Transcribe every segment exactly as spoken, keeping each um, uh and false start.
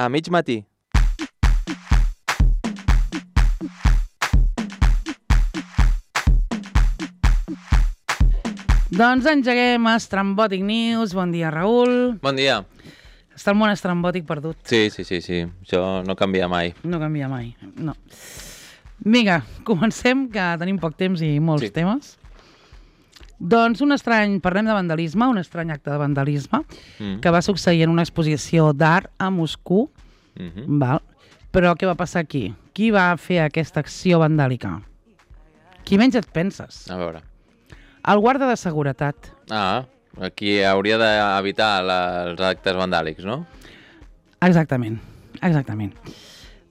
a mig matí. Doncs engeguem Estrambòtic News. Bon dia, Raül. Bon dia. Està el món estrambòtic perdut. Sí, sí, sí, sí. Això no canvia mai. No canvia mai, no. Vinga, comencem, que tenim poc temps i molts Sí. temes. Doncs un estrany, parlem de vandalisme, un estrany acte de vandalisme Mm. que va succeir en una exposició d'art a Moscou. Mm-hmm. Val? Però què va passar aquí? Qui va fer aquesta acció vandàlica? Qui menys et penses? A veure. El guarda de seguretat. Ah, aquí hauria d'evitar la, els actes vandàlics, no? Exactament, exactament.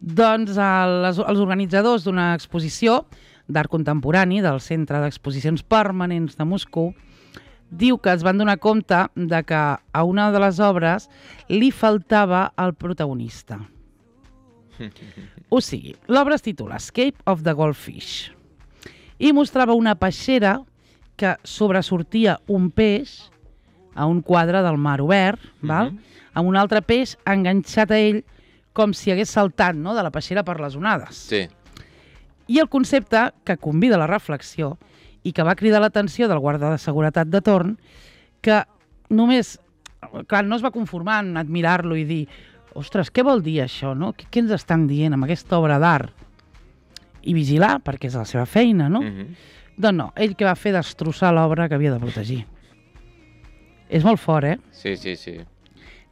Doncs el, les, els organitzadors d'una exposició d'art contemporani del Centre d'Exposicions Permanents de Moscou diu que es van donar compte de que a una de les obres li faltava el protagonista. O sigui, l'obra es titula Escape of the Goldfish i mostrava una peixera que sobresortia un peix a un quadre del mar obert, val? Mhm. Amb un altre peix enganxat a ell com si hagués saltat, no?, de la peixera per les onades. Sí. I el concepte que convida a la reflexió i que va cridar l'atenció del guarda de seguretat de torn, que només, clar, no es va conformar en admirar-lo i dir ostres, què vol dir això, no? Què, què ens estan dient amb aquesta obra d'art? I vigilar, perquè és la seva feina, no? Mm-hmm. Doncs no, ell que va fer destrossar l'obra que havia de protegir. És molt fort, eh? Sí, sí, sí.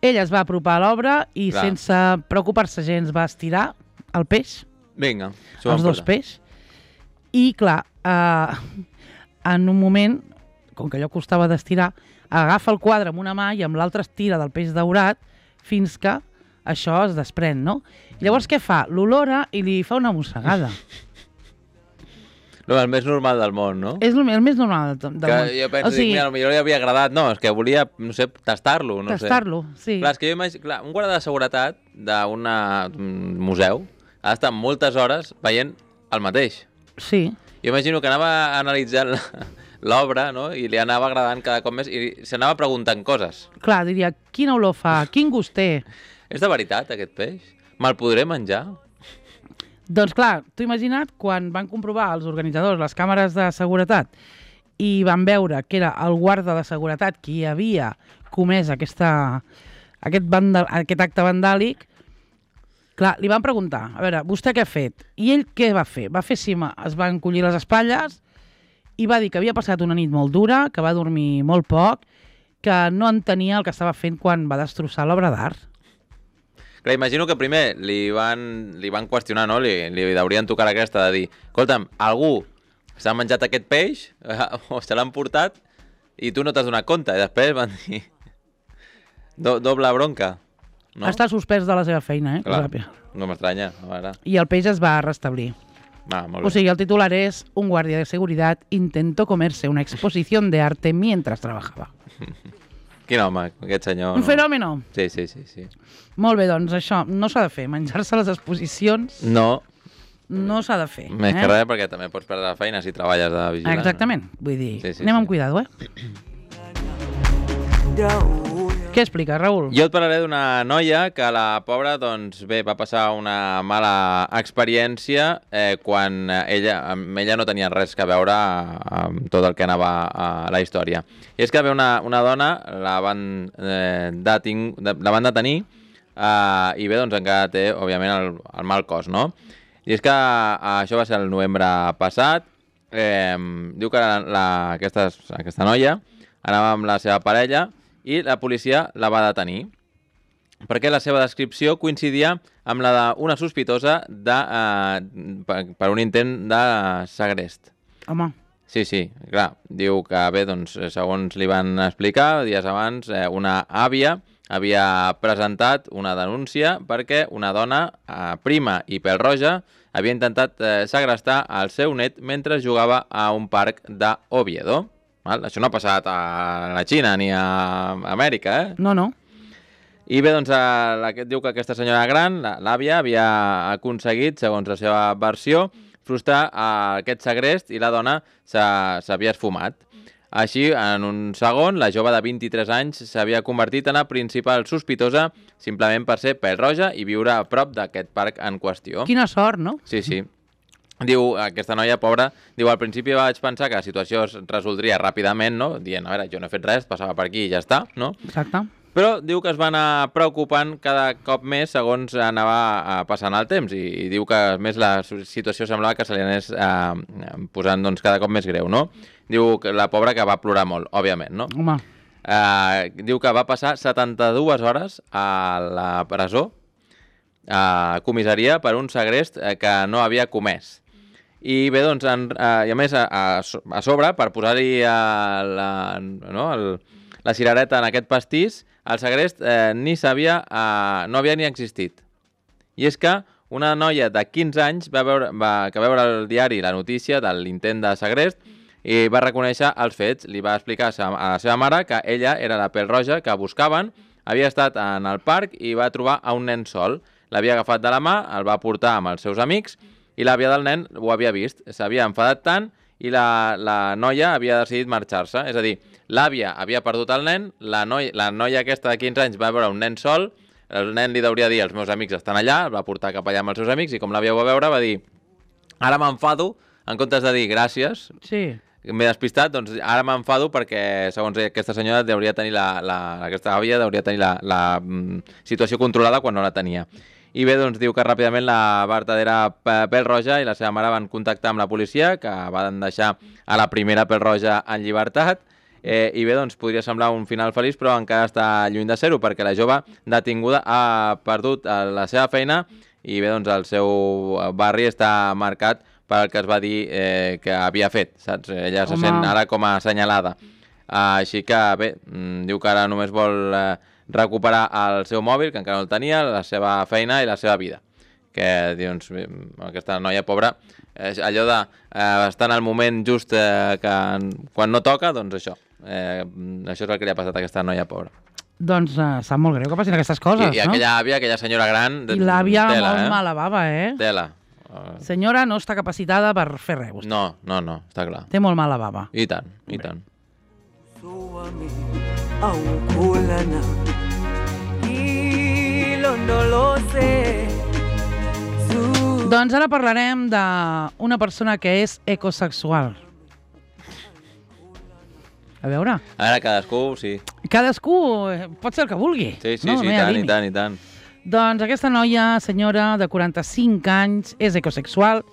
Ell es va apropar a l'obra i Clar. sense preocupar-se gens va estirar el peix, Vinga, s'ho els van dos portar. peix, i clar, eh, en un moment, com que allò costava d'estirar, agafa el quadre amb una mà i amb l'altra es tira del peix daurat fins que això es desprèn, no? I llavors què fa? L'olora i li fa una mossegada. No, el més normal del món, no? És el, el més normal del, del que món. jo penso, o sigui, dic, mira, potser li havia agradat. No, és que volia, no sé, tastar-lo. No tastar-lo, sé. sí. Clar, és que jo imagino, clar, un guarda de seguretat d'un museu ha d'estar moltes hores veient el mateix. Sí. Jo imagino que anava analitzant la- l'obra, no?, i li anava agradant cada cop més i s'anava preguntant coses. Clar, diria, quina olor fa, quin gust té. És de veritat, aquest peix? Me'l podré menjar? Doncs clar, t'ho imagina't quan van comprovar els organitzadors les càmeres de seguretat i van veure que era el guarda de seguretat qui havia comès aquesta, aquest, vandal, aquest acte vandàlic. Clar, li van preguntar, a veure, vostè què ha fet? I ell què va fer? Va fer cima, es va encollir les espatlles i va dir que havia passat una nit molt dura, que va dormir molt poc, que no entenia el que estava fent quan va destrossar l'obra d'art. Clar, imagino que primer li van, li van qüestionar, no? Li, li haurien tocat aquesta de dir escolta'm, algú s'ha menjat aquest peix o se l'han portat i tu no t'has donat compte. I després van dir do, doble bronca. No? Està suspès de la seva feina, eh? Clar, no m'estranya. A veure. I el peix es va restablir. Ah, molt bé. O sigui, el titular és un guardia de seguridad intentó comerse una exposición de arte mientras trabajaba. Quin home, aquest senyor. Un no? fenòmeno. Sí, sí, sí, sí. Molt bé, doncs això no s'ha de fer. Menjar-se les exposicions No, no s'ha de fer. més eh? que res, perquè també pots perdre la feina si treballes de vigilant. Exactament. Vull dir, Sí, sí, anem sí. amb cuidado, eh? Què explica, Raül? Jo et parlaré d'una noia que la pobra, doncs bé, va passar una mala experiència eh, quan ella, amb ella no tenia res que veure amb tot el que anava a la història. I és que ve una, una dona, la van, eh, deting, de, la van detenir eh, i bé, doncs encara té, òbviament, el, el mal cos, no? I és que eh, això va ser el novembre passat. Eh, diu que la, la, aquesta, aquesta noia anava amb la seva parella i la policia la va detenir perquè la seva descripció coincidia amb la d'una sospitosa de, eh, per, per un intent de segrest. Home, Sí, sí, clar, diu que bé, doncs, segons li van explicar, dies abans, eh, una àvia havia presentat una denúncia perquè una dona, eh, prima i pèl-roja, havia intentat eh, segrestar el seu net mentre jugava a un parc d'Oviedo. Val? Això no ha passat a la Xina ni a Amèrica, eh? no, no. I bé, doncs, eh, aquest diu que aquesta senyora gran, la- l'àvia, havia aconseguit, segons la seva versió, frustrar eh, aquest segrest i la dona s'ha- s'havia esfumat. Així, en un segon, la jove de vint-i-tres anys s'havia convertit en la principal sospitosa simplement per ser pèl-roja i viure a prop d'aquest parc en qüestió. Quina sort, no? Sí, sí. Diu, aquesta noia pobra, diu, al principi vaig pensar que la situació es resoldria ràpidament, no? Dient, a veure, jo no he fet res, passava per aquí i ja està, no? Exacte. Però diu que es va anar preocupant cada cop més segons anava passant el temps i, i diu que, a més, la situació semblava que se li anés eh, posant doncs, cada cop més greu, no? Diu que la pobra que va plorar molt, òbviament, no? Home. Eh, diu que va passar setanta-dues hores a la presó, a comissaria, per un segrest que no havia comès. I bé, doncs, en, eh, i a més, a, a sobre, per posar-hi la, no, el, la cirereta en aquest pastís, el segrest eh, ni sabia, eh, no havia ni existit. I és que una noia de quinze anys va veure, va, que veure el diari la notícia de l'intent de segrest i va reconèixer els fets. Li va explicar a la seva mare que ella era la pèl-roja que buscaven, havia estat en el parc i va trobar a un nen sol. L'havia agafat de la mà, el va portar amb els seus amics i l'àvia del nen ho havia vist. S'havia enfadat tant i la, la noia havia decidit marxar-se. És a dir, l'àvia havia perdut el nen, la noia, la noia aquesta de quinze anys va veure un nen sol, el nen li deuria dir els meus amics estan allà, el va portar cap allà amb els seus amics i com l'àvia ho va veure va dir ara m'enfado, en comptes de dir gràcies, sí. m'he despistat, doncs ara m'enfado perquè segons aquesta senyora deuria tenir la, la, aquesta àvia deuria tenir la, la mm, situació controlada quan no la tenia. I bé, doncs diu que ràpidament la vertadera pèl-roja i la seva mare van contactar amb la policia, que van deixar a la primera pèl-roja en llibertat. Eh, I bé, doncs podria semblar un final feliç, però encara està lluny de ser-ho, perquè la jove detinguda ha perdut la seva feina i bé, doncs el seu barri està marcat pel que es va dir eh, que havia fet, saps? Ella Home. se sent ara com a assenyalada. Uh, així que bé, diu que ara només vol eh, recuperar el seu mòbil, que encara no el tenia, la seva feina i la seva vida. Que, doncs, aquesta noia pobra, eh, allò de eh, estar en el moment just eh, que quan no toca, doncs això. Eh, això és el que li ha passat a aquesta noia pobra. Doncs uh, sap molt greu que passin aquestes coses, I, i no? aquella àvia, aquella senyora gran... I l'àvia tela, molt eh? mala bava, eh? Tela. Uh... Senyora no està capacitada per fer res, vostè. No, no, no, està clar. Té molt mala bava. I tant, i tant. Aukulana hilo no lo sé. Doncs ara parlarem d'una persona que és ecosexual. A veure... Ara cadascú, sí. Cadascú pot ser el que vulgui. Sí, sí, no, sí, no i tant, i tant, i tant. Doncs aquesta noia, senyora de quaranta-cinc anys, és ecosexual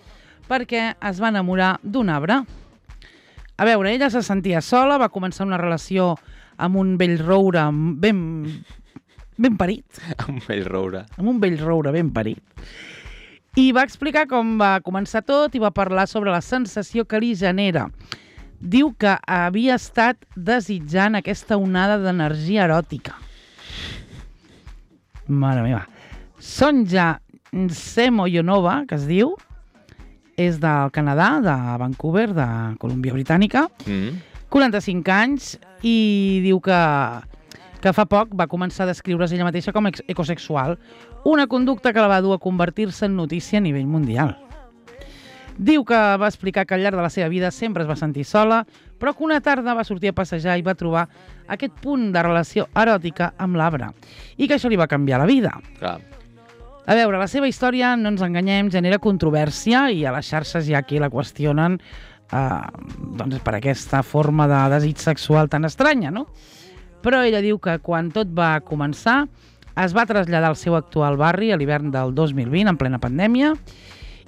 perquè es va enamorar d'un arbre. A veure, ella se sentia sola, va començar una relació amb un vell roure ben, ben parit. Un vell roure. Amb un vell roure ben parit. I va explicar com va començar tot i va parlar sobre la sensació que li genera. Diu que havia estat desitjant aquesta onada d'energia eròtica. Mare meva. Sonja Semoyonova, que es diu, és del Canadà, de Vancouver, de Colúmbia Britànica, mm. quaranta-cinc anys, i diu que, que fa poc va començar a descriure's ella mateixa com ecosexual, una conducta que la va dur a convertir-se en notícia a nivell mundial. Diu que va explicar que al llarg de la seva vida sempre es va sentir sola, però que una tarda va sortir a passejar i va trobar aquest punt de relació eròtica amb l'arbre, i que això li va canviar la vida. Clar. A veure, la seva història, no ens enganyem, genera controvèrsia i a les xarxes hi ha qui la qüestionen eh, doncs per aquesta forma de desig sexual tan estranya, no? Però ella diu que quan tot va començar es va traslladar al seu actual barri a l'hivern del dos mil vint, en plena pandèmia,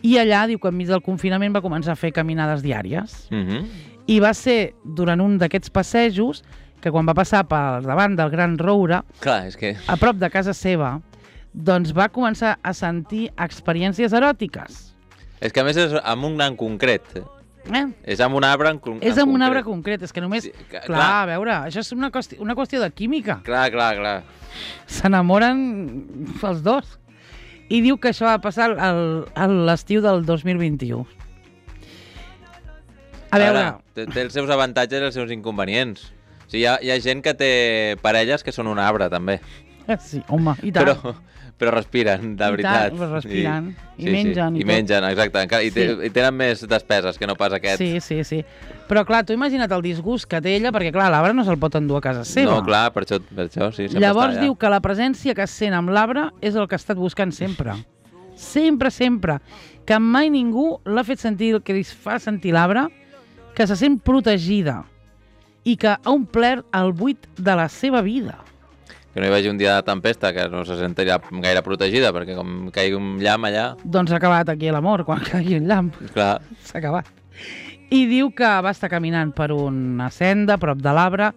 i allà diu que enmig del confinament va començar a fer caminades diàries. Mm-hmm. I va ser durant un d'aquests passejos que quan va passar per davant del Gran Roure, Clar, és que... a prop de casa seva, doncs va començar a sentir experiències eròtiques. És que a més és amb un gran concret. Eh? És amb un arbre en, en És amb un concret. arbre concret, és que només... Sí, que- clar, clar. a veure, això és una qüestió, una qüestió de química. Clar, clar, clar. S'enamoren els dos. I diu que això va passar al, a l'estiu del dos mil vint-i-u. A veure... Ara, té, té els seus avantatges i els seus inconvenients. O sigui, hi ha, hi ha gent que té parelles que són un arbre, també. Sí, home, i tant. Però, però respiren, de veritat. I tant, respiren. I, sí, mengen. Sí. I, I mengen, exacte. Encara, i, sí. I tenen més despeses que no pas aquests. Sí, sí, sí. Però clar, tu imagina't el disgust que té ella, perquè clar, l'arbre no se'l pot endur a casa seva. No, clar, per això, per això sí, sempre Llavors està allà. diu que la presència que sent amb l'arbre és el que ha estat buscant sempre. Sempre, sempre. Que mai ningú l'ha fet sentir el que li fa sentir l'arbre, que se sent protegida i que ha omplert el buit de la seva vida. Que no hi vagi un dia de tempesta, que no se sentiria gaire protegida, perquè com caigui un llamp allà... Doncs s'ha acabat aquí l'amor, quan caigui un llamp. Clar. S'ha acabat. I diu que va estar caminant per una senda a prop de l'arbre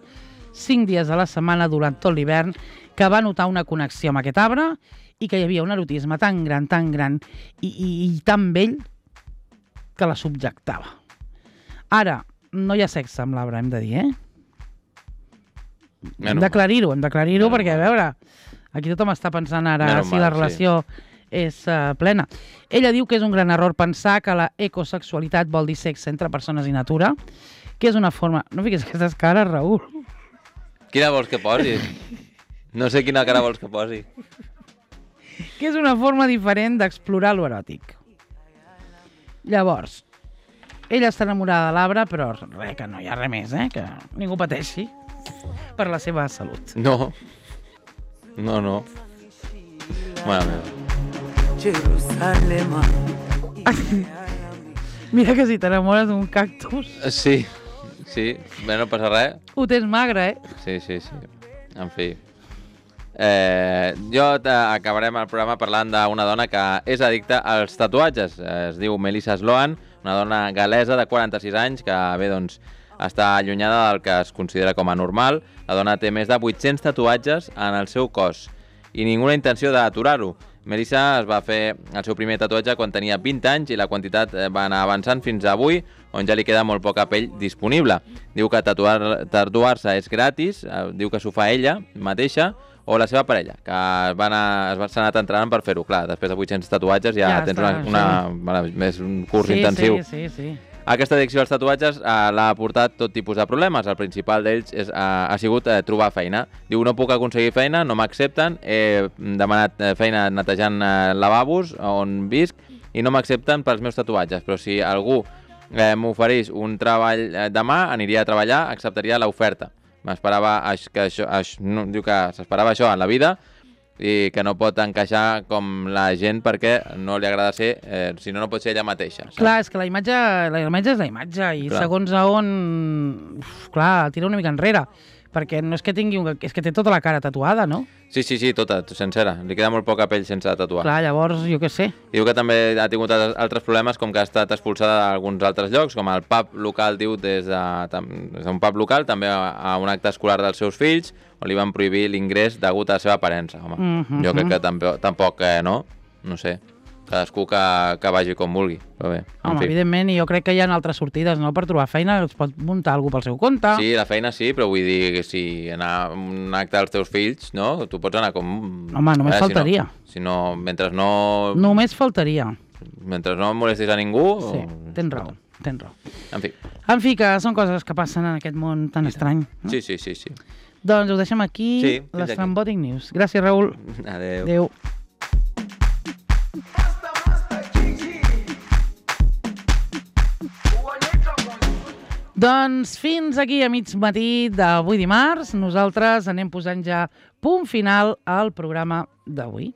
cinc dies a la setmana durant tot l'hivern, que va notar una connexió amb aquest arbre i que hi havia un erotisme tan gran, tan gran i, i, i tan vell que la subjectava. Ara, no hi ha sexe amb l'arbre, hem de dir, eh? Hem d'aclarir-ho, hem d'aclarir-ho perquè, a veure, aquí tothom està pensant ara Menys si mal, la relació sí. és uh, plena. Ella diu que és un gran error pensar que la ecosexualitat vol dir sexe entre persones i natura, que és una forma... No fiquis aquestes cares, Raül. Quina vols que posi? No sé quina cara vols que posi. Que és una forma diferent d'explorar l'eròtic. Llavors, ella està enamorada de l'arbre, però res, que no hi ha res més, eh? Que ningú pateixi per la seva salut. No. No, no. Mare meva. Jerusalema. Mira que si t'enamores d'un cactus... Sí, sí. Bé, no passa res. Ho tens magre, eh? Sí, sí, sí. En fi. Eh, jo acabarem el programa parlant d'una dona que és addicta als tatuatges. Es diu Melissa Sloan, una dona gal·lesa de quaranta-sis anys que, bé, doncs, està allunyada del que es considera com a normal. La dona té més de vuit-cents tatuatges en el seu cos i ninguna intenció d'aturar-ho. Melissa es va fer el seu primer tatuatge quan tenia vint anys i la quantitat va anar avançant fins a avui, on ja li queda molt poca pell disponible. Diu que tatuar, tatuar-se és gratis, diu que s'ho fa ella mateixa o la seva parella, que va anar, es va anar entrenant per fer-ho. Clar, després de vuit-cents tatuatges ja, ja tens està, una, una, sí. més un curs sí, intensiu. Sí, sí, sí. Aquesta addicció als tatuatges eh, l'ha portat tot tipus de problemes. El principal d'ells és, eh, ha sigut eh, trobar feina. Diu, no puc aconseguir feina, no m'accepten, he demanat eh, feina netejant eh, lavabos on visc i no m'accepten pels meus tatuatges, però si algú eh, m'oferís un treball eh, demà, aniria a treballar, acceptaria l'oferta. M'esperava que això, això, no, diu que s'esperava això en la vida i que no pot encaixar com la gent perquè no li agrada ser, eh, si no, no pot ser ella mateixa. Saps? Clar, és que la imatge, la imatge és la imatge i clar. Segons a on... Uf, clar, tira una mica enrere, perquè no és que tingui un... és que té tota la cara tatuada, no? Sí, sí, sí, tota, sencera. Li queda molt poca pell sense tatuar. Clar, llavors, jo què sé. I diu que també ha tingut altres problemes, com que ha estat expulsada d'alguns altres llocs, com el pub local, diu, des d'un pub local, també a un acte escolar dels seus fills, on li van prohibir l'ingrés degut a la seva aparença. Home, mm -hmm. jo crec que tampoc, tampoc eh, no? No sé. Cadascú que, que vagi com vulgui. Però bé, home, fi. Evidentment, i jo crec que hi ha altres sortides, no? Per trobar feina, es pot muntar algú pel seu compte. Sí, la feina sí, però vull dir que si anar a un acte dels teus fills, no? Tu pots anar com... Home, només veure, faltaria. Si no, si no, mentre no... Només faltaria. Mentre no molestis a ningú... Sí, o... tens raó, tens raó. En fi. En fi, que són coses que passen en aquest món tan estrany. No? Sí, sí, sí, sí. Doncs ho deixem aquí, sí, les aquí. Trambòtic News. Gràcies, Raül. Adéu. Adéu. Doncs fins aquí a mig matí d'avui dimarts. Nosaltres anem posant ja punt final al programa d'avui.